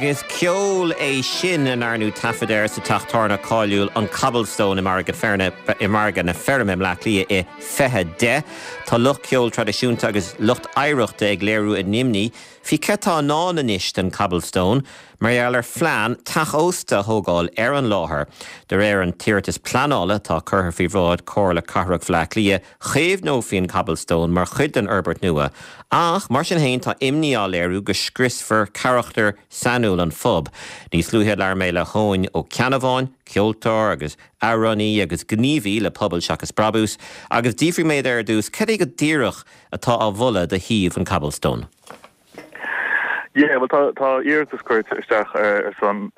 Agus ceol é sin a ndearnadh taifead air sa teach tábhairne cáiliúil an Cobblestone i Margadh na Feirme i mBleá Cliath i 2010. Tá lucht ceoil traidisiúnta agus lucht oidhreachta ag léiriú a n-imní faoi céard atá i ndán anois don Cobblestone mar gheall ar phlean teach ósta a thógáil ar an láthair. De réir an t-iarratas pleanála atá curtha faoi bhráid Comhairle Cathrach Bhleá Cliath, Chaomhnófaí an Cobblestone mar chuid den fhorbairt nua, ach mar sin féin tá imní á léiriú go scriosfar carachtar sainiúil an phub. Níos luaithe labhair mé le hEoin Ó Ceannabháin, ceoltóir agus amhránaí agus gníomhaí le Pobal Seachas Brabús, agus d'fhiafraigh mé de ar dtús cad é go díreach atá á mholadh do shuíomh an Cobblestone. Yeah, bhuel tá tá iarratas curtha isteach ar son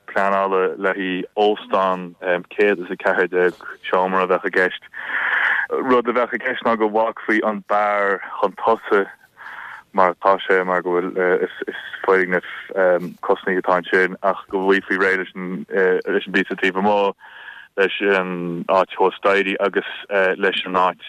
pleanála le haghaidh óstán 114 seomra a bheadh i gceist. Rud a bheadh i gceist ná go bhfágfaí an beár chun tosaigh mar atá sé mar go bhfuil is is foirgneamh cosnaithe atá ansin ach go bhfaighfí réidh leis an leis an bpíosa taobh amuigh, leis an áit thuas staighrí agus leis an áit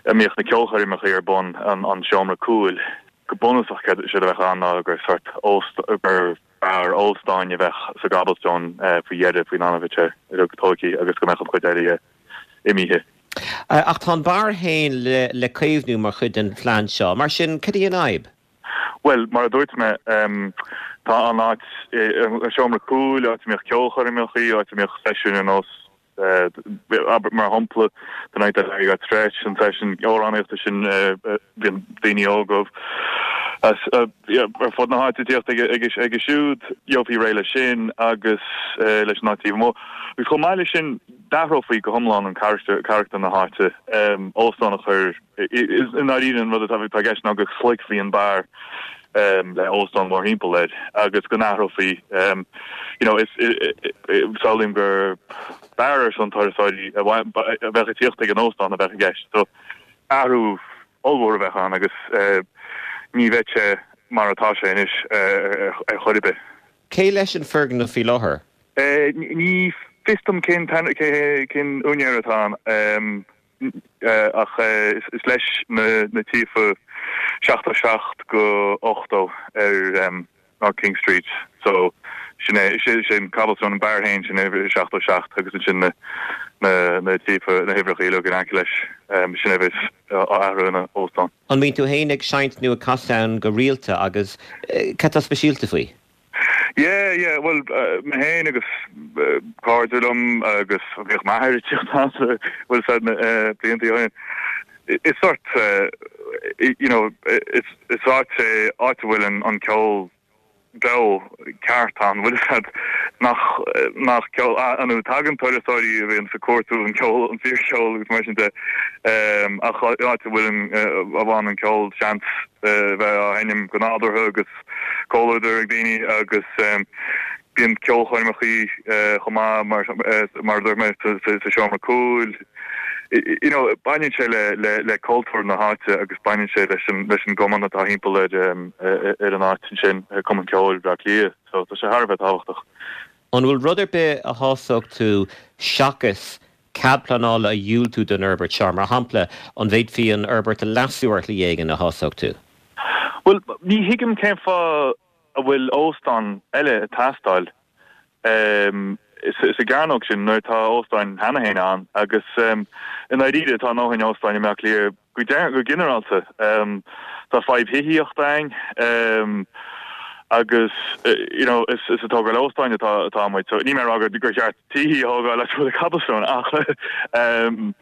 a mbíodh na ceolchoirmeacha ar bun, an seomra cúil. Go bunúsach séard a bheadh ann ná gur sort óst, gur beár óstáin a bheadh sa gCobblestone faoi dheireadh, faoin am a bheadh sé uilig tógtha agus go mbeadh an chuid eile imithe. Ach tá an beár féin le caomhnú mar chuid den phlean seo, mar sin cad í an fhadhb? Bhuel, mar a dúirt mé, tá an áit, an seomra cúil, áit a mbíodh ceolchoirmeacha, áit a mbíodh seisiúin ar nós, mar shampla, The Night That Larry Got Stretched, an seisiún amhránaíochta sin, bíonn daoine óga as ar fud na háite ag tíocht aige siúd, gheofaí réidh leis sin agus leis an áit taobh amuigh. Agus chomh maith leis sin, d'athrófaí go hiomlán an carachtar na háite, óstán a chur I ndáiríre an rud atá i gceist ná go sloigfí an beár le óstán mórthimpeall air agus go n-athrófaí you know is samhlaím gur beár ar son turasóirí a bheadh ag tíocht ag an óstán a bheadh i gceist. So athrú ollmhór a bheadh ann agus ní bheadh sé mar atá sé anois ar chor ar bith. Cé leis an foirgneamh faoi láthair? Ní fios dom cén cén úinéir atá ann. Ach is leis na tithe 77 go 80 ar North King Street. So sin é, sin Cobblestone, an beár féin, sin é 77 agus ansin na na tithe, na huimhreacha uilig in aice leis, sin é a bheas á athrú ina óstán. An mbíonn tú féin ag seinnt nó ag casadh ann go rialta agus cad tá speisialta faoi? Yeah, yeah, bhuel, mé féin agus cairde liom agus bhíodh m'athair ag tíocht ann, bhfuil a fhios a'd, blianta ó shin. Is sort, you know, is áit é, áit a bhfuil an ceol beo ceart ann, bhfuil a fhios a'd, nach, nach ceol, nó tagann turasóirí a bhíonn ag cuartú an ceol, an fíorcheol agus mar sin de, ach áit a bhfuil an, a bhfaigheann an ceol seans bheith á sheinm go nádúrtha agus comhluadar ag daoine agus bíonn ceolchoirmeachaí chomh maith mar a dúirt mé sa seomra cúil. You know, baineann sé le le cultúr na háite agus baineann sé leis an leis an gcumann atá thimpeall ar ar an áit ansin, Cumann Ceoil Bhaile Átha Cliath. So tá sé thar a bheith tábhachtach. An bhfuil rud ar bith a shásódh tú seachas cead pleanála a dhiúltú don fhorbairt seo? Mar shampla, an bhféadfaí an fhorbairt a leasú ar shlí éigin a shásódh tú? Bhuel, ní thuigim cén fáth a bhfuil óstán eile ag teastáil sa gcearnóg sin nuair atá óstáin cheana féin ann agus i ndáiríre tá a ndóthain óstáin i mBleá Cliath go ginearálta. Tá fadhb thithíochta againn agus you know is ag tógáil óstáin atá atá muid so níl mé ag rá gur cheart tithe a thógáil áit a bhfuil Cobblestone ach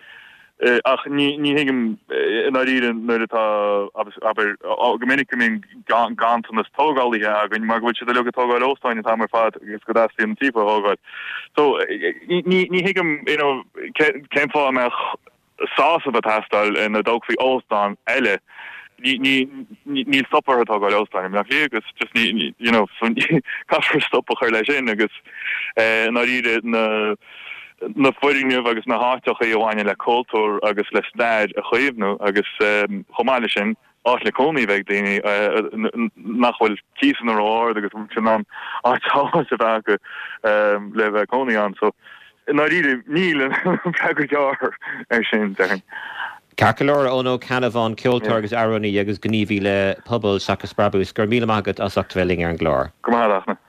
Ach ní thuigim i ndáiríre nuair atá, abair, go minic go mbíonn ganntanas tógálaithe againn mar go bhfuil siad uilig ag tógáil óstáin an t-am ar fad agus go dteastaíonn na tithe a thógáil. So ní thuigim you know cén fáth a mbeadh sásamh ag teastáil ina dtógfaí óstán eile. Níl stop orthu ag tógáil óstáin i mBleá Cliath agus just ní you know caithfear stop a chur leis sin agus i ndáiríre na na foirgnimh agus na háiteachaí a bhaineann le cultúr agus le stair a chaomhnú agus chomh maith leis sin áit le cónaí a bheith ag daoine nach bhfuil cíosanna ró-ard agus a bhfuil siad in ann áit shábháilte a bheith acu le bheith ag cónaí ann. So, i ndáiríre, níl an freagra gearr air sin, déarfainn. Ceart go leor, Eoin Ó Ceannabháin, ceoltóir agus amhránaí agus gníomhaí le Pobal Seachas Brabús, go raibh míle maith agat as ucht a bheith linn ar an gclár. Go raibh maith agat, a Fhachtna.